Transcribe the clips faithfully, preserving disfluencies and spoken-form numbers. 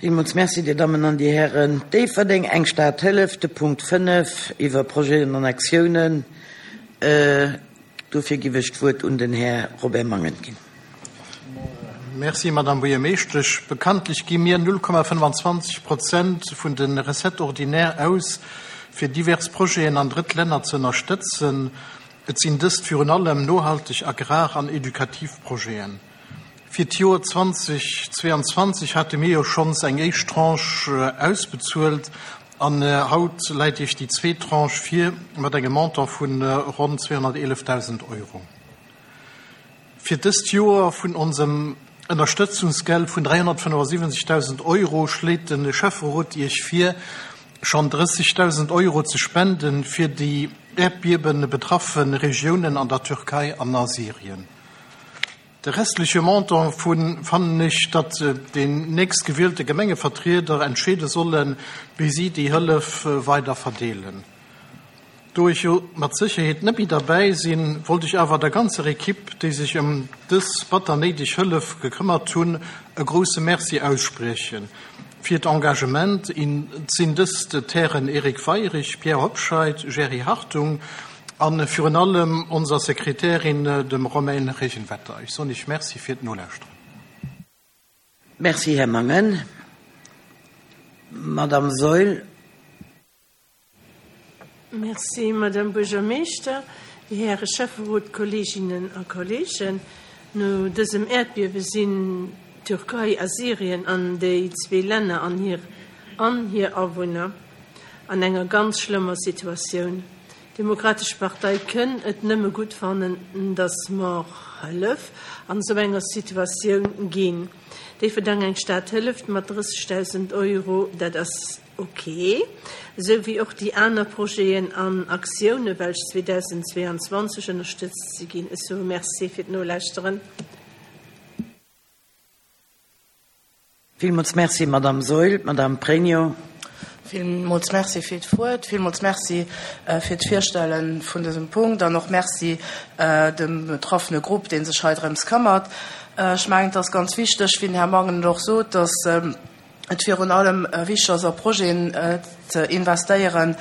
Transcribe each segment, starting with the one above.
Villmools Merci, Dir Dammen an Dir Hären. Déifferdeng, eng Stad hëlleft, de Punkt fënnef iwwer Projeten an Aktiounen. Dofir giff ech d'Wuert un den Här Robert Mangen ginn. Merci, Madame Buergermeeschtesch. Bekanntlech gi mir null Komma fënnwanzwanzeg Prozent vun de Recettes ordinaires aus, fir divers Projeten an Drëttlänner ze ënnerstëtzen. Et sinn dëst virun allem nohalteg Agrar- an edukativ Projeten. Fir d'Joer zwanzeg zweiandzwanzeg hate mir jo schonns eng éischt Tranche ausbezuelt an haut läit Iech déi zweet Tranche vir mat engem Montant vu ronn zweehonnerteelefdausend Euro. Fir dëst Joer vun onsem Ënnerstëtzungsgeld vun dräihonnertfënnefasiwwenzegdausend Euro schléit de Schäfferot Iech vir, schonn drëssigdausend Euro ze spenden fir déi Äerdbiewe betraffe Regiounen an der Türkei an a Syrien. De restleche Montant vun fannen ech, datt déi nächstgewielte Gemengevertrieder entscheede sollen, wéi si déi Hëllef weider verdeelen. Do ech jo mat Sécherheet net méi derbäi sinn, wollt ech awer der ganzer Ekipp, déi sech ëm dës batter néideg Hëllef gekëmmert hunn, e grousse Merci ausspriechen. Fir d'Engagement et sinn dëst d'Hären Eric Weirich, Pierre Hobscheit, Jerry Hartung an virun allem onser Sekretärin, dem Romaine Regenwetter. Ech soen Iech Merci fir d'Nolauschteren. Merci, Här Mangen. Madame Saeul. Merci, Madame Buergermeeschter, Dir Häre Schäfferot, Kolleeginnen a Kolleegen. No dësem Äerdbiewe sinn d'Türkei a Syrien an déi zwee Länner an hir an hir Awunner an enger ganz schlëmmer Situatioun. D'Demokratesch Partei kënn et nëmme gutt fannen, datt mer Hëllef an esou enger Situatioun ginn. Déifferdeng eng Stad hëlleft mat drëssigdausend Euro, dat ass ok, esou wéi och déi aner Projeten an Aktioune welch zweedausendzweeanzwanzeg ënnerstëtzt si ginn. Ech soe Merci fir d'Nolauschteren. Villmools Merci, Madame Saeul. Madame Pregno. Villmools Merci fir d'Wuert, villmools Merci fir d'Virstelle vun dësem Punkt an och Merci dem betraffene Grupp, dee sech hei drëms këmmert. Ech mengen, et ass ganz wichteg, wéi den Här Mangen et och sot, dass et virun allem wichteg ass, a Projeten ze investéieren,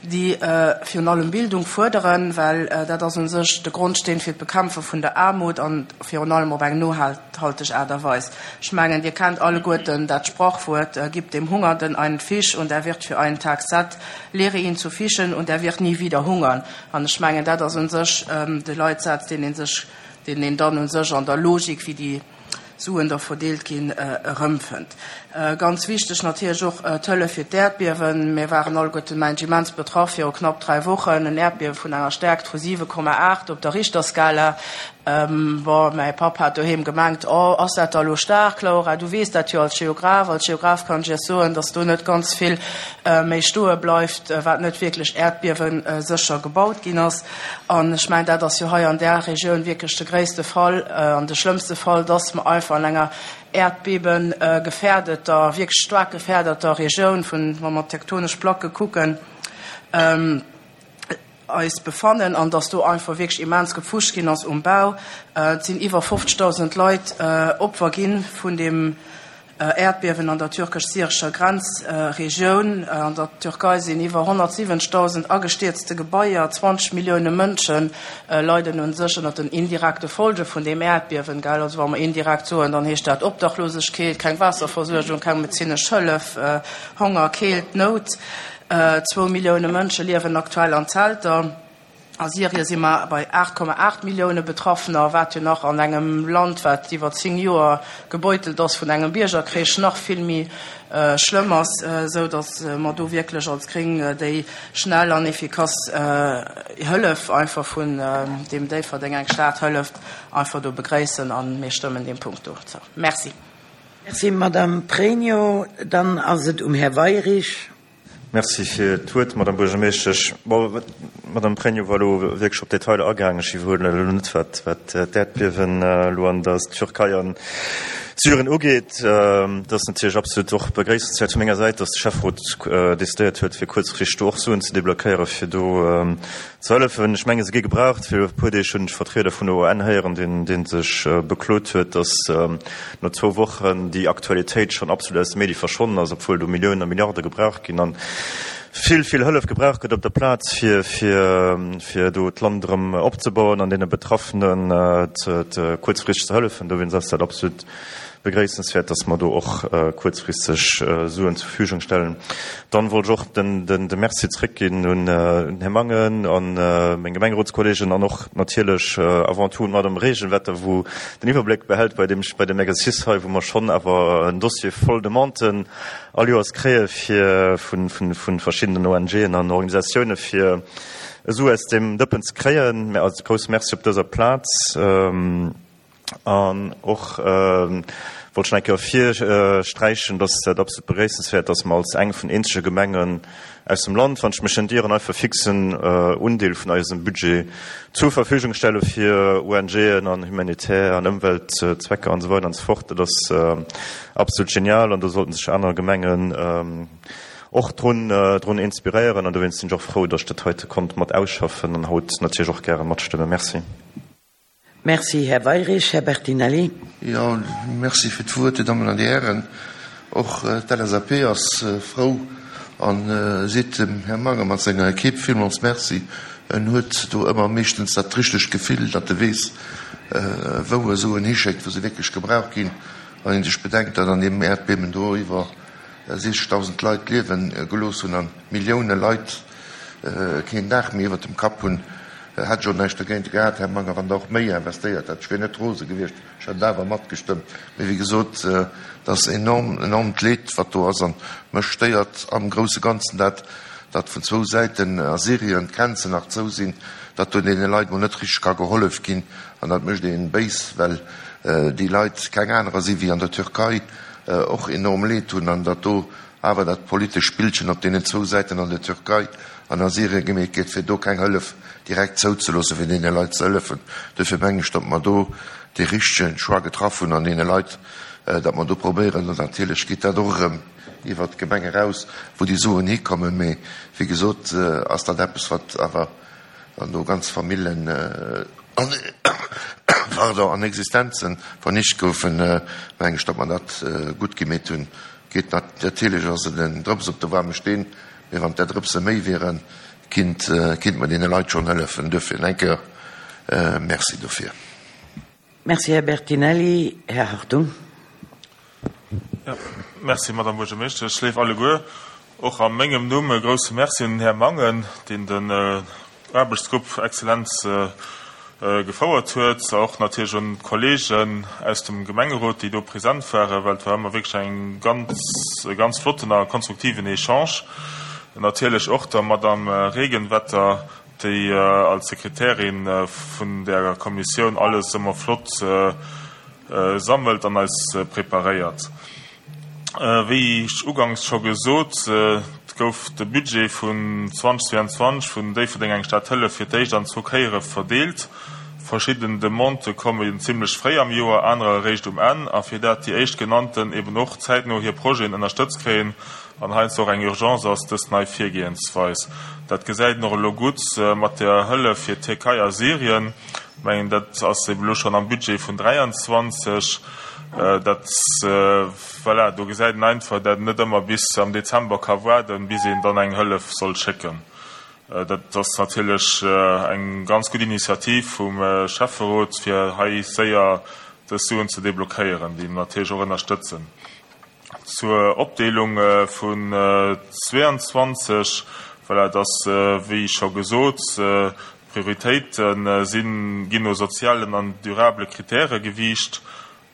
déi virun allem Bildung fuerderen, well dat ass u sech de Grondsteen fir d'Bekämpfe vun der Aarmut an virun allem op eng nohalteg Aart a Weis. Ech mengen, Dir kennt alleguerten dat Sprachwuert, Gib dem Hungernden einen Fisch und er wird für einen Tag satt, lehre ihn zu fischen und er wird nie wieder hungern. An ech mengen, dat ass u sech de Leitsaz, deen ee sech, deen een dann u sech an der Logik, wéi déi Suen da verdeelt ginn, erëmfënnt. Ganz wichteg natierlech och d'Hëllef fir d'Äerdbiewen. Mir waren alleguerten, mengen ech, immens betraff viru knapp dräi Wochen. En Äerdbiewe vun enger Stäerkt vu siwe Komma aacht op der Richterskala. Bon, mäi Papp hat doheem gemengt, Oh, ass dat da elo staark, Laura? Du weess dat jo als Geograf. Als Geograf kann ech Iech soen, dass do net ganz vill méi stoe bleift, wat net wierklech äerdbiewesécher gebaut ginn ass. An ech mengen, dat ass jo hei an där Regioun wierklech de gréisste Fall an de schlëmmste Fall, dass mer einfach an enger äerdbebegefährdeter, wierklech staark gefährdeter Regioun vun, wa mer d'tektonesch Placke kucken, eis befannen an dass do einfach wierklech immens gepfuscht ginn ass um Bau. Et sinn iwwer fofzegdausend Leit Opfer gi vun deem Äerdbiewen an der türkesch-syrescher Grenzregioun. An der Türkei sinn iwwer honnertsiwwenzegdausend agestierzte Gebaier, zwanzeg Millioune Mënsche leiden u sech ënner den indirekte Folge vun deem Äerdbiewen. Gell, also wa mer indirekt soen, dann heescht dat Obdachlosegkeet, keng Waasserversuergung, keng medezinesch Hëllef, Honger, Keelt, Nout. Zwou Millioune Mënsche liewen aktuell an Zelter. A Syrie si mer bei aacht Komma aacht Millioune Betraffener, wat jo nach an engem Land, wat iwwer zéng Joer gebeutelt ass vun engem Biergerkrich, nach vill méi schlëmm ass, esou datt mer do wierklech als Gréng déi schnell an efficace Hëllef einfach vun deem Déifferdeng eng Stad hëlleft einfach do begréissen a mir stëmmen deem Punkt do zou. Merci. Merci, Madame Pregno. Dann ass et um Här Weirich. Merci fir d'Wuert, Madame Buergermeeschtesch. Bon, d'Madame Pregno war elo wierklech op d'Detailer agaangen. Ech iwwerhuelen elo net, wat, wat d'Äerdbiewen elo an der Türkei an Syrien ugeet. Dat ass natierlech absolut och begréissenswäert vu menger Säit, dass de Schäfferot decidéiert huet, fir kuerzfristeg do och Suen ze deblockéieren, fir do ze hëllefen. Ech menge se gi gebraucht. Viru e puer Deeg hunn ech Vertrieder vun der U N héieren, deen, dee sech beklot huet, dass no zwou Wochen déi Aktualitéit schonn absolut aus de Medie verschwonnen ass, obwuel do Milliounen a Milliarde gebraucht ginn an vill, vill Hëllef gebraucht gëtt op der Plaz, fir, fir, fir do d'Land erëm opzebauen an deene Betraffenen ze, ze kuerzfristeg ze hëllefen. Dowéinst ass dat absolut begréissenswäert, dass mer do och kuerzfristeg Suen zur Verfügung stellen. Dann wollt ech och den, den, de Merci zréckginn un den Här Mangen an meng Gemengerotskollegen an och natierlech avant tout un d'Madame Regenwetter, wou den Iwwerbléck behält bei deem, bei dem Exercice hei, wou mer schonn awer en Dossier voll Demanden all Joers kréie fir vun, vun, vun verschiddenen O N G'en an Organisatiounen, fir esou aus deem Dëppen ze kréien. Mä also grousse Merci op dëser Plaz. An och wollt ech nach eng Kéier ervirsträichen, dass dat absolut begréissenswäert, dass mer als eng vun eenzege Gemengen aus dem Land, wann ech mech net ieren, einfach fixen Undeel vun eisem Budget zur Verfügung stelle fir O N G'en an humanitär an Ëmweltzwecker an esou weider an esou fort. Dat ass absolut genial an do sollten sech aner Gemengen och drun, drun inspiréieren. An dowéinst sinn ech och frou, dass ech dat heite konnt mat ausschaffen an haut natierlech och gäre matstëmmen. Merci. Merci, Här Weyrich. Här Bertinelli. Ja, merci fir d'Wuert, Dir Dammen an Dir Hären. Och d'L S A P ass frou an seet dem Här Mangen mat senger Equipe villmools Merci. En huet do ëmmer meeschtens dat richtegt Gefill, datt e weess, wou e Suen hischéckt, wou se wierklech gebraucht ginn. Wann een sech bedenkt, datt an deem Äerdbiewen do iwwer sechzigtausend Leit liewen gelooss hunn an Millioune Leit keen Daach méi iwwer dem Kapp hunn, hätt schon näischt dogéint gehat, Här Manger, wann der och méi investéiert hätt. Ech wier net rose gewiescht, ech hätt awer matgestëmmt. Mee wéi gesot, dat ass enorm, enormt Leed, wat do ass, an mech stéiert am grousse Ganzen dat, dat vun zwou Säiten a Syrien d'Grenzen nach zou sinn, dat do deene Leit mol net richtig ka gehollef ginn, an dat mécht een béis, well déi Leit keng anerer si wéi an der Türkei och enorm Leed hunn, an dat do awer dat politesch Spillchen op deenen zwou Säiten an der Türkei an a Syrien gemeet gëtt, fir do keng Hëllef direkt zouzeloossen, fir deene Leit ze hëllefen. Dofir mengen ech, datt mer do de richtigen Choix getraff hunn an deene Leit, datt mer do probéieren, an natierlech geet dat och erëm iwwer d'Gemeng eraus, wou déi Suen hikommen, mee wéi gesot, ass dat eppes, wat awer an do ganz Famillen an, pardon, an Existenzen vernicht goufen, mengen ech, datt mer dat gutt gemeet hunn. Geet natierlech ass et en Drëps op de warme Steen, mee wann der Drëpse méi wären, kinnt, kinnt man deene Leit schon hëllefen. Dofir eng Kéier, merci dofir. Merci, Här Bertinelli. Här Hartung. Ja, merci, Madame Buergermeeschtesch. Ech léif alleguer och a mengem Numm e grousse Merci un den Här Mangen, deen den Aarbechtsgrupp Exzellenz gefouert huet, och natierlech un d'Kollegen aus dem Gemengerot, déi do präsent waren, well et war ëmmer wierklech eng ganz, e ganz flotten a konstruktiven Echange. Natierlech och der Madame Regenwetter, déi als Sekretärin vun der Kommissioun alles ëmmer flott sammelt an eis preparéiert. Wéi ech ugangs scho gesot, gouf de Budget vun zweitausendzweiundzwanzeg vun Déifferdeng eng Stad Hëllef fir d'éischt an zwou Kéiere verdeelt. Verschidden Demandë kommen zimmlech fréi am Joer, anerer eréischt um Enn, a fir dat déi éischt genannten eben och zäitno hir Projeten ënnerstëtzt kréien, an heiansdo och eng Urgence ass dës nei Virgehensweis. Dat gesäit noch elo gutt mat der Hëllef fir Türkei a Syrien. Ich mengen, dat ass eben elo schon am Budget vun dräiundzwanzeg. Dat, voilà, do gesäit een einfach, dat net ëmmer bis am Dezember ka waarden, bis een dann eng Hëllef soll schécken. Dat ass natierlech eng ganz gutt Initiativ vum Schäfferot, fir hei séier dës Suen ze deblockéieren, déi natierlech och ënnerstëtzen. Zur Opdeelung vun zweiundzwanzeg, voilà, dat ass, wéi scho gesot, Prioritéiten sinn, ginn no sozialen an durable Kritäre gewiicht.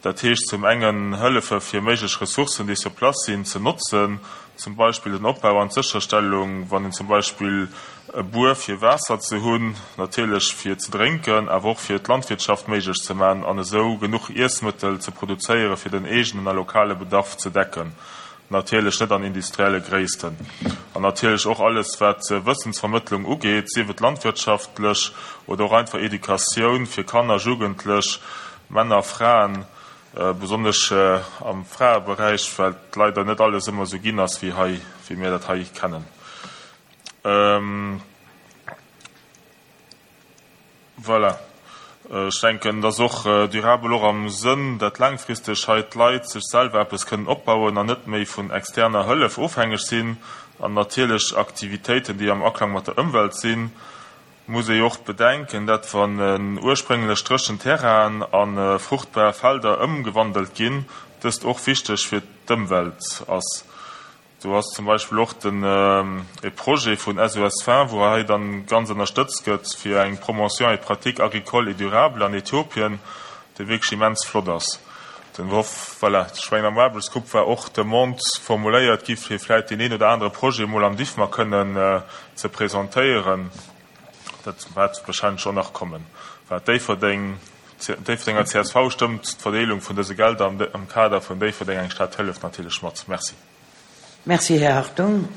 Dat heescht zum engen Hëllefe fir méiglech Ressourcen, déi sur place sinn, ze notzen, zum Beispill den Opbau an d'Sécherstellung, wann een zum Beispill e Buer fir Waasser ze hunn, natierlech fir ze drénken, awer och fir d'Landwirtschaft méiglech ze man an esou genuch Iessmëttel ze produzéiere fir den eegenen a lokale Bedarf ze decken. Natierlech net an industrielle Gréissten. An natierlech och alles, wat Wëssensvermëttlung ugeet, sief et landwirtschaftlech oder och einfach Educatioun fir Kanner, Jugendlech, Männer, Fraen, Besonnesch am Fraeberäich, well et leider net alles ëmmer esou ginn ass, wéi hei, wéi mir dat hei kennen. Voilà. Ech denken, et ass och durabel och am Sënn, dat laangfristeg hei d'Leit sech selwer eppes kënnen opbauen an net méi vun externer Hëllef ofhängeg sinn. An natierlech Aktivitéiten, déi am Aklang mat der Ëmwelt sinn, muss ee jo och bedenken, dat wann ursprénglech dréchen Terrainen a fruchtbar Felder ëmgewandelt ginn, dëst och wichteg fir d'Ëmwelt ass. Do ass zum Beispill och den e Projet vun S O S vingt, wou hei dann ganz ënnerstëtzt gëtt fir eng Promotion et pratique agricole et durable an Äthiopien, dee wierklech immens flott ass. Den Hoff, voilà, ech mengen am Aarbechtsgrupp war och d'Demande formuléiert gi fir vläicht deen een oder anere Projet emol am DIFMA kënnen ze presentéieren. Dat wäert wahrscheinlech och nach kommen. Wat Déifferdeng, d'Déifferdenger C S V stëmmt d'Verdeelung vun dëse Gelder am, am Kader vun Déifferdeng eng Stad hëlleft natierlech mat. Merci. Merci, Här Hartung.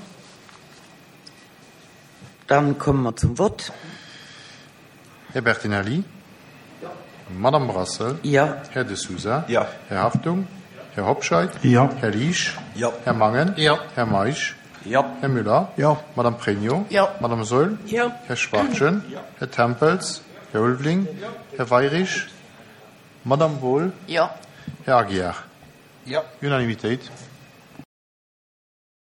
Dann kommen wir zum Wort. Herr Bertinelli? Ja. Madame Brassel? Ja. Herr de Souza? Ja. Herr Hartung? Herr Hobscheit? Ja. Herr Liesch? Ja. Herr Mangen? Ja. Herr Meisch? Ja. Herr Müller? Ja. Madame Pregno? Ja. Madame Soll? Ja. Herr Schwartjen? Ja. Herr Tempels? Herr Ulveling? Ja. Herr Weyrich? Madame Wohl? Ja. Herr Aguiar? Ja. Unanimitéit.